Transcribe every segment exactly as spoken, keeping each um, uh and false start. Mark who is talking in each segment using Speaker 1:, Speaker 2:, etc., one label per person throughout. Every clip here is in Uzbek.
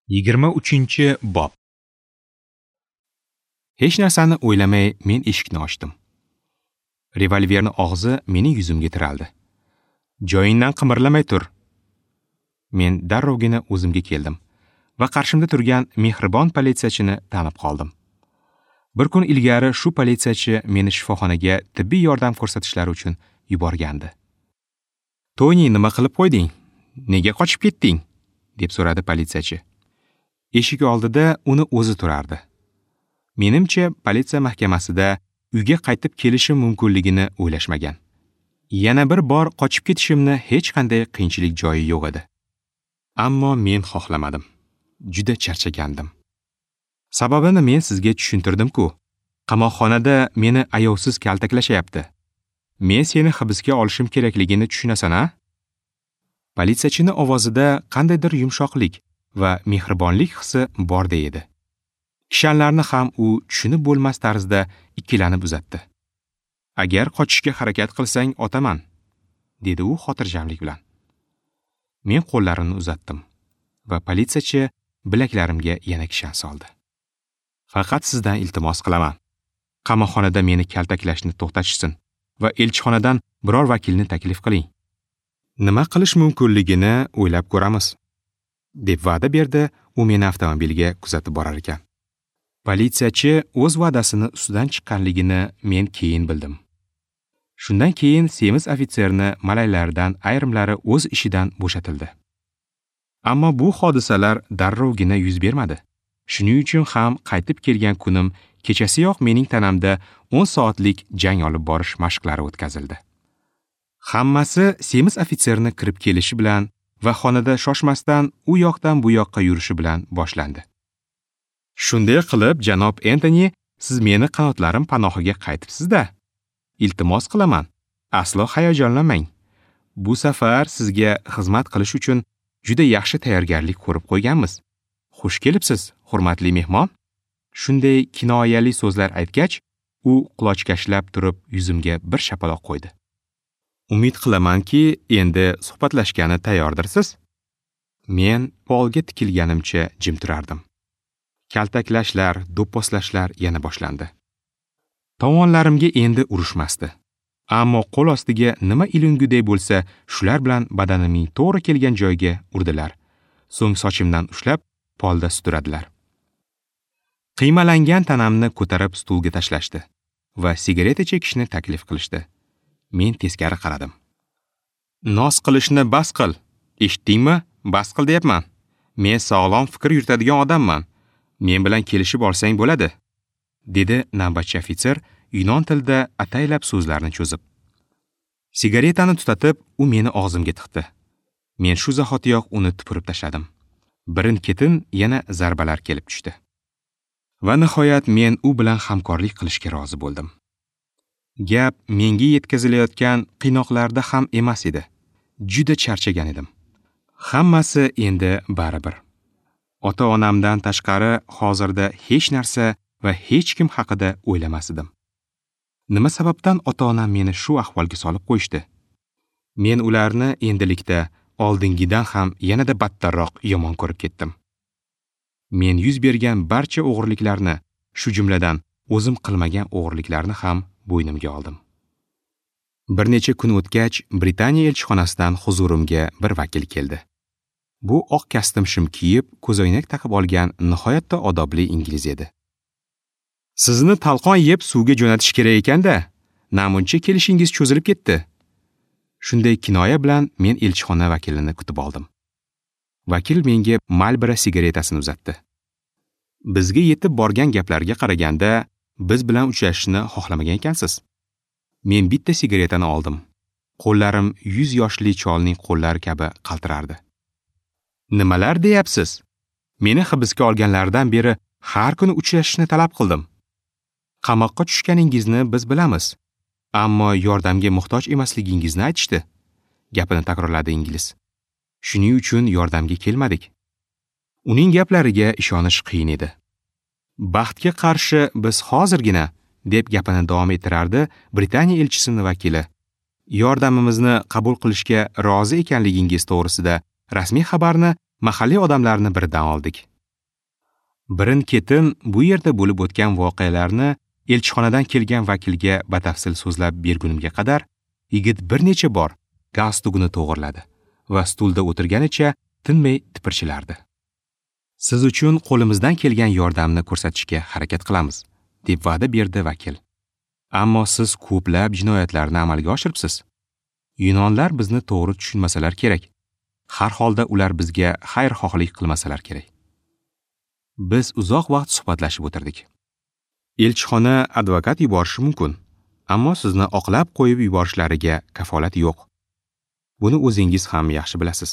Speaker 1: Yigirma uchinchi bob. Hech narsani o'ylamay men eshikni ochdim. Revolverni og'zi mening yuzimga tiraldi. Joyingdan qimirlamay tur. Men darrovgina o'zimga keldim va qarshimda turgan mehribon politsiyachini tanib qoldim. Bir kun ilgari shu politsiyachi meni shifoxonaga tibbiy yordam ko'rsatishlari uchun yuborgandi. "Toni, nima qilib qo'yding? Nega qochib ketding?" deb so'radi politsiyachi. Eshik oldida uni o'zi turardi. Menimcha, politsiya mahkamasida uyga qaytib kelishim mumkinligini o'ylashmagan. Yana bir bor qochib ketishimni hech qanday qiyinchilik joyi yo'q edi. Ammo men xohlamadim. Juda charchagandim. Sababini men sizga tushuntirdim-ku. Qamoqxonada meni ayovsiz kaltaklashyapti. Men seni hibsga olishim kerakligini tushunasan-a? Politsiyachining ovozida qandaydir yumshoqlik va mehribonlik hissi borday edi. Kishanlarni ham u tushunib bo'lmas tarzda ikkilanib uzatdi. Agar qochishga harakat qilsang, otaman, dedi u xotirjamlik bilan. Men qo'llarimni uzatdim va politsiyachi bilaklarimga yana kishan soldi. Faqat sizdan iltimos qilaman. Qamoqxonada meni kaltaklashni to'xtatishsin va elchixonadan biror vakilni taklif qiling. Nima qilish mumkinligini o'ylab ko'ramiz, deb va'da berdi u meni avtomobilga kuzatib borar ekan. Politsiyachi o'z va'dasini ustidan chiqqanligini men keyin bildim. Shundan keyin semiz ofitserni malaylardan ayrimlari o'z ishidan bo'shatildi. Ammo bu hodisalar darrovgina yuz bermadi. Shuning uchun ham qaytib kelgan kunim kechasiyoq mening tanamda o'n soatlik jang olib borish mashqlari o'tkazildi. Hammasi semiz ofitserni kirib kelishi bilan va xonada shoshmasdan u yoqdan bu yoqqa yurishi bilan boshlandi. Shunday qilib, janob Entoni, siz meni qanotlarim panohiga qaytibsiz-da. Iltimos qilaman, aslo hayajonlanmang. Bu safar sizga xizmat qilish uchun juda yaxshi tayyorgarlik ko'rib qo'yganmiz. Xush kelibsiz, hurmatli mehmon. Shunday kinoyali so'zlar aytgach, u qulochkashlab turib yuzimga bir shapaloq qo'ydi. Umid qilamanki, endi suhbatlashgani tayyordirsiz. Men polga tikilganimcha jim turardim. Kaltaklashlar, do'pposlashlar yana boshlandi. Tomonlarimga endi urushmasdi. Ammo qo'l ostiga nima ilinguday bo'lsa, shular bilan badanimning to'g'ri kelgan joyiga urdilar. So'ng sochimdan ushlab polda suturadilar. Qiymalangan tanamni ko'tarib stulga tashlashdi va sigareta chekishni taklif qilishdi. Men teskari qaradim. Noz qilishni bas qil. Eshitdingmi? Bas qil deyapman. Men sog'lom fikr yuritadigan odamman. Men bilan kelishib olsang bo'ladi, dedi navbatchi ofitser yunon tilida ataylab so'zlarni cho'zib. Sigaretani tutatib, u meni og'zimga tiqdi. Men shu zahotiyoq uni tupurib tashladim. Birin-ketin yana zarbalar kelib tushdi. Va nihoyat men u bilan hamkorlik qilishga rozi bo'ldim. Gap menga yetkazilayotgan qiynoqlarda ham emas edi. Juda charchagan edim. Hammasi endi baribir. Ota-onamdan tashqari hozirda hech narsa va hech kim haqida o'ylamas edim. Nima sababdan ota-onam meni shu ahvolga solib qo'yishdi? Men ularni endilikda oldingidan ham yanada battarroq yomon ko'rib ketdim. Men yuz bergan barcha o'g'irliklarni, shu jumladan o'zim qilmagan o'g'irliklarni ham bo'ynimga oldim. Bir necha kun o'tgach, Britaniya elchixonasidan huzurimga bir vakil keldi. Bu oq kostyum shim kiyib, ko'zoynak taqib olgan nihoyatda odobli ingliz edi. Sizni talqon yeb suvga jo'natish kerak ekanda, namuncha kelishingiz cho'zilib ketdi. Shunday kinoya bilan men elchixona vakilini kutib oldim. Vakil menga Marlboro sigaretasini uzatdi. Bizga yetib borgan gaplarga qaraganda, biz bilan uchrashishni xohlamagan ekansiz. Men bitta sigaretani oldim. Qo'llarim yuz yoshli cholning qo'llari kabi qaltirardi. Nimalar deyapsiz? Meni hibsga olganlaridan beri har kuni uchrashishni talab qildim. Qamoqqa tushganingizni biz bilamiz, ammo yordamga muhtoj emasligingizni aytishdi, gapini takrorladi ingliz. Shuning uchun yordamga kelmadik. Uning gaplariga ishonish qiyin edi. Baxtga qarshi biz hozirgina, deb gapini davom ettirardi Britaniya elchisining vakili. Yordamimizni qabul qilishga rozi ekanligingiz to'g'risida rasmiy xabarni mahalliy odamlarni biridan oldik. Birin-ketin bu yerda bo'lib o'tgan voqealarni elchixonadan kelgan vakilga batafsil so'zlab bergunimga qadar yigit bir necha bor galstugini to'g'irladi va stulda o'tirganicha tinmay tipirchilardi. Siz uchun qo'limizdan kelgan yordamni ko'rsatishga harakat qilamiz, deb va'da berdi vakil. Ammo siz ko'plab jinoyatlarni amalga oshiribsiz. Yunonlar bizni to'g'ri tushunmasalar kerak. Har holda ular bizga xayrxohlik qilmasalar kerak. Biz uzoq vaqt suhbatlashib o'tirdik. Elchixona advokat yuborishi mumkin, ammo sizni oqlab qo'yib yuborishlariga kafolat yo'q. Buni o'zingiz ham yaxshi bilasiz,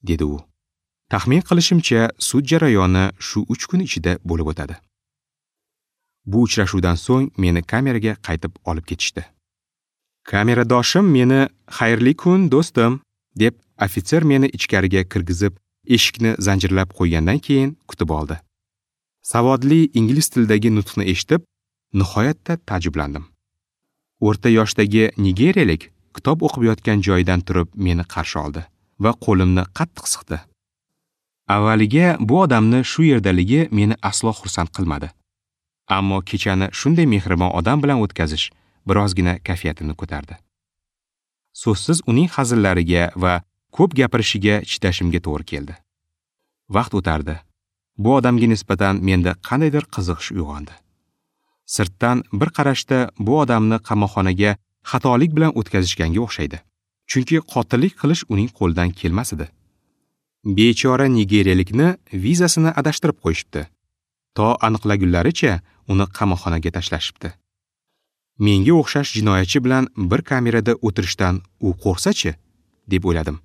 Speaker 1: dedi u. Taxmin qilishimcha, sud jarayoni shu uch kun ichida bo'lib o'tadi. Bu uchrashuvdan so'ng meni kameraga qaytib olib ketishdi. Kameradoshim meni "Xayrli kun, do'stim" deb ofitser meni ichkariga kirgizib, eshikni zanjirlab qo'ygandan keyin kutib oldi. Savodli ingliz tilidagi nutqni eshitib, nihoyatda ta'jublandim. O'rta yoshdagi nigeriyalik kitob o'qib yotgan joyidan turib meni qarshi oldi va qo'limni qattiq siqdi. Avvaliga bu odamni shu yerdaligi meni aslo xursand qilmadi. Ammo kechani shunday mehribon odam bilan o'tkazish birozgina kayfiyatimni ko'tardi. So'zsiz uning hazillariga va ko'p gapirishiga chidashimga to'g'ri keldi. Vaqt o'tardi. Bu odamga nisbatan menda qandaydir qiziqish uyg'ondi. Sirtdan bir qarashda bu odamni qamoqxonaga xatolik bilan o'tkazishganga o'xshaydi. Chunki qotillik qilish uning qo'lidan kelmas edi. Bechora nigeriyalikni vizasini adashtirib qo'yishibdi. To aniqlagunlaricha uni qamoqxonaga tashlashibdi. Menga o'xshash jinoyatchi bilan bir kamerada o'tirishdan u qo'rqsa-chi, deb o'yladim.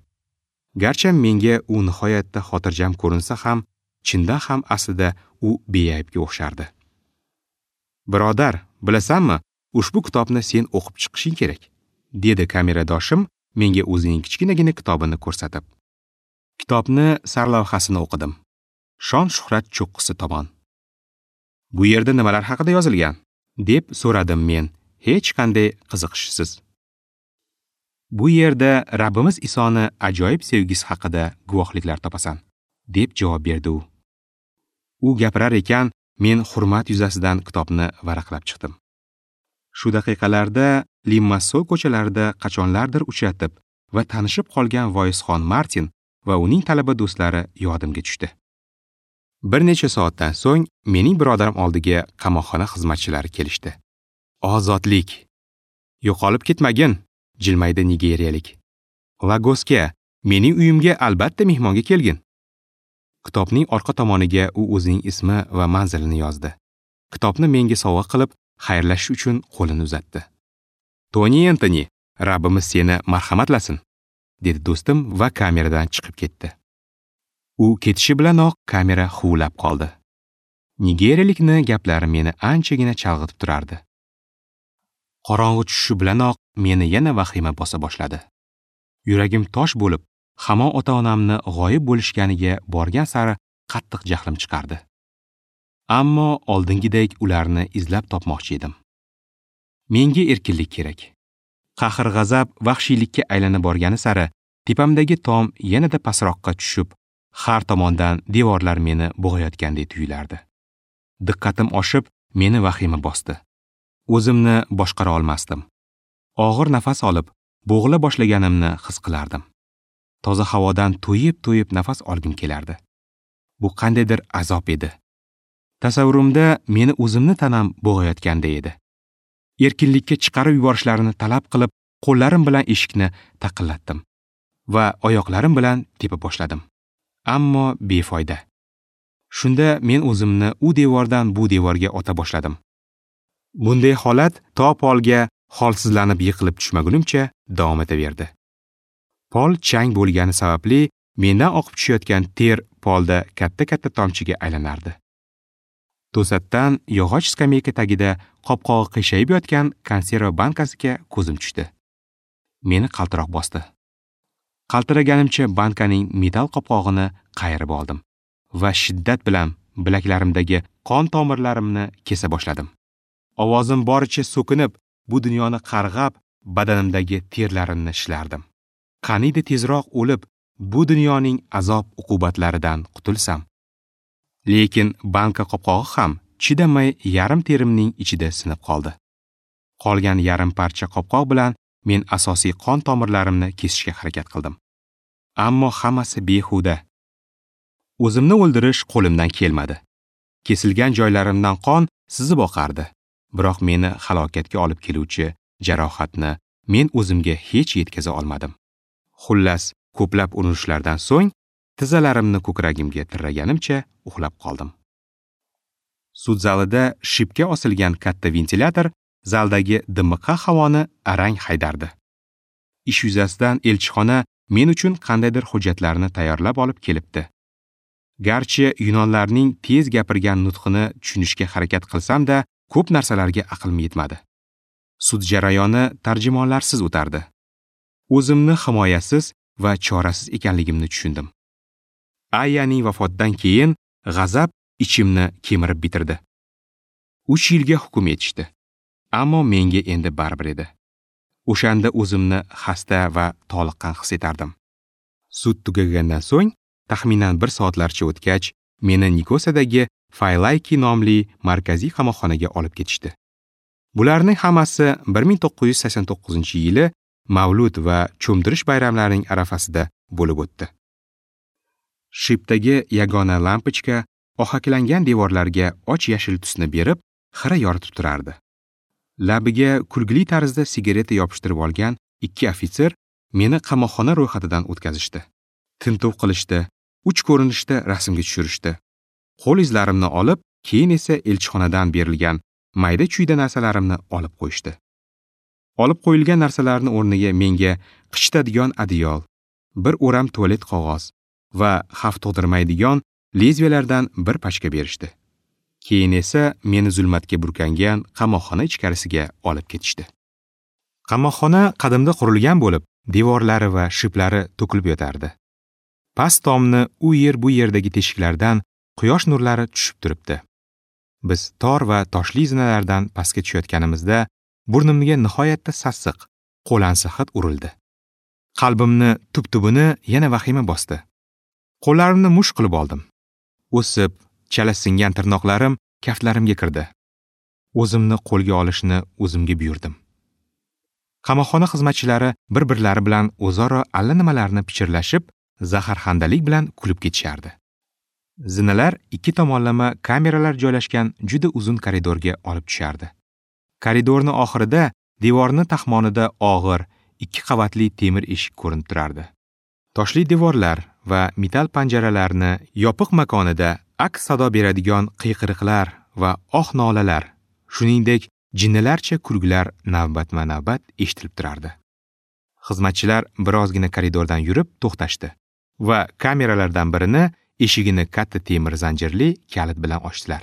Speaker 1: Garchi menga u nihoyatda xotirjam ko'rinsa ham, chindan ham aslida u beaybga o'xshardi. Birodar, bilasanmi, ushbu kitobni sen o'qib chiqishing kerak, dedi kameradoshim menga o'zining kichkinagina kitobini ko'rsatib. Kitobni sarlavhasini o'qidim. Shon-shuhrat cho'qqisi tomon. Bu yerda nimalar haqida yozilgan? Deb so'radim men, hech qanday qiziqishsiz. Bu yerda Rabbimiz Isoni ajoyib sevgisi haqida guvohliklar topasan, deb javob berdi u. U gapirar ekan, men hurmat yuzasidan kitobni varaqlab chiqdim. Shu daqiqalarda Limassol ko'chalarida qachonlardir uchratib va tanishib qolgan Voisxon Martin va uning talaba do'stlari yodimga tushdi. Bir necha soatdan so'ng mening birodarim oldiga qamoqxona xizmatchilari kelishdi. Ozodlik. Yo'qolib ketmagin, jilmaydi nigeriyalik. Lagosga, mening uyimga albatta mehmonga kelgin. Kitobning orqa tomoniga u o'zining ismi va manzilini yozdi. Kitobni menga sovg'a qilib, xayrlashish uchun qo'lini uzatdi. Toni Entoni, Rabbimiz seni marhamatlasin, dedi do'stim va kameradan chiqib ketdi. U ketishi bilanoq kamera huvlab qoldi. Nigeriyalikni gaplari meni anchagina chalg'itib turardi. Qorong'i tushishi bilanoq meni yana vahima bosa boshladi. Yuragim tosh bo'lib, hamon ota-onamni g'oyib bo'lishganiga borgan sari qattiq jahlim chiqardi. Ammo oldingidek ularni izlab topmoqchi edim. Menga erkinlik kerak. Qahr-g'azab vahshiylikka aylanib borgani sari tepamdagi tom yanada pastroqqa tushib, har tomondan devorlar meni bo'g'ayotgandek tuyulardi. Diqqatim oshib, meni vahima bosdi. O'zimni boshqara olmasdim. Og'ir nafas olib, bo'g'ila boshlaganimni his qilardim. Toza havodan to'yib-to'yib nafas olgim kelardi. Bu qandaydir azob edi. Tasavvurimda meni o'zimni tanam bo'g'ayotganday edi. Erkinlikka chiqarib yuborishlarini talab qilib, qo'llarim bilan eshikni taqillatdim va oyoqlarim bilan tepa boshladim. Ammo befoyda. Shunda men o'zimni u devordan bu devorga ota boshladim. Bunday holat to polga holsizlanib yiqilib tushmagunimcha davom etaverdi. Pol chang bo'lgani sababli mendan oqib tushayotgan ter polda katta-katta tomchiga aylanardi. To'satdan yog'och skameyka tagida qopqog'i qiyshayib yotgan konserva bankasiga ko'zim tushdi. Meni qaltiroq bosdi. Qaltiraganimcha bankaning metal qopqog'ini qayirib oldim va shiddat bilan bilaklarimdagi qon tomirlarimni kesa boshladim. Ovozim boricha so'kinib, bu dunyoni qarg'ab, badanimdagi terlarimni shilardim. Qaniydi tezroq o'lib, bu dunyoning azob uqubatlaridan qutulsam. Lekin banka qopqog'i ham chidamay yarim terimning ichida sinib qoldi. Qolgan yarim parcha qopqoq bilan men asosiy qon tomirlarimni kesishga harakat qildim. Ammo hammasi behuda. O'zimni o'ldirish qo'limdan kelmadi. Kesilgan joylarimdan qon sizib oqardi. Biroq meni halokatga olib keluvchi jarohatni men o'zimga hech yetkaza olmadim. Xullas, ko'plab urinishlardan so'ng tizzalarimni ko'kragimga tirraganimcha uxlab qoldim. Sud zalida shipga osilgan katta ventilyator zaldagi dimiqqa havoni arang haydardi. Ish yuzasidan elchixona men uchun qandaydir hujjatlarni tayyorlab olib kelibdi. Garchi yunonlarning tez gapirgan nutqini tushunishga harakat qilsam-da, ko'p narsalarga aqlim yetmadi. Sud jarayoni tarjimonlarsiz o'tardi. O'zimni himoyasiz va chorasiz ekanligimni tushundim. Ayaning vafotidan keyin g'azab ichimni kemirib bitirdi. Uch yilga hukm etishdi. Ammo menga endi baribir edi. O'shanda o'zimni xasta va toliqqan his etardim. Sud tugagandan so'ng taxminan bir soatlarcha o'tgach, meni Nikosadagi Faylayki nomli markaziy qamoqxonaga olib ketishdi. Bularning hammasi bir ming to'qqiz yuz sakson to'qqizinchi yili Mavlud va cho'mdirish bayramlarining arafasida bo'lib o'tdi. Shipdagi yagona lampochka ohaklangan devorlarga och yashil tusni berib, xira yoritib turardi. Labiga kulgili tarzda sigareta yopishtirib olgan ikki ofitser meni qamoqxona ro'yxatidan o'tkazishdi. Tintuv qilishdi, uch ko'rinishda rasmga tushirishdi. Qo'l izlarimni olib, keyin esa elchixonadan berilgan mayda-chuyda narsalarimni olib qo'yishdi. Olib qo'yilgan narsalarning o'rniga menga qichitadigan adyol, bir o'ram tualet qog'oz va xavf tug'dirmaydigan lezviyalardan bir pachka berishdi. Keyin esa meni zulmatga burkangan qamoqxona ichkarisiga olib ketishdi. Qamoqxona qadimda qurilgan bo'lib, devorlari va shiplari to'kilib yotardi. Past tomni u yer bu yerdagi teshiklardan quyosh nurlari tushib turibdi. Biz tor va toshli zinalardan pastga tushayotganimizda burnimga nihoyatda sassiq, qo'lansi hid urildi. Qalbimni tub-tubini yana vahima bosdi. Qo'llarimni mush qilib oldim. O'sib, chala singan tirnoqlarim kaftlarimga kirdi. O'zimni qo'lga olishni o'zimga buyurdim. Qamoqxona xizmatchilari bir-birlari bilan o'zaro allanimalarni pichirlashib, zaharxandalik bilan kulib ketishardi. Zinalar ikki tomonlama kameralar joylashgan juda uzun koridorga olib tushardi. Koridorning oxirida devorning taxmonida og'ir, ikki qavatli temir eshik ko'rinib turardi. Toshli devorlar va metal panjaralarni yopiq makonida aks sado beradigan qiyqiriqlar va oh-nolalar, shuningdek jinnilarcha kulgilar navbatma-navbat eshitilib turardi. Xizmatchilar birozgina koridordan yurib to'xtashdi va kameralardan birini eshigini katta temir zanjirli kalit bilan ochdilar.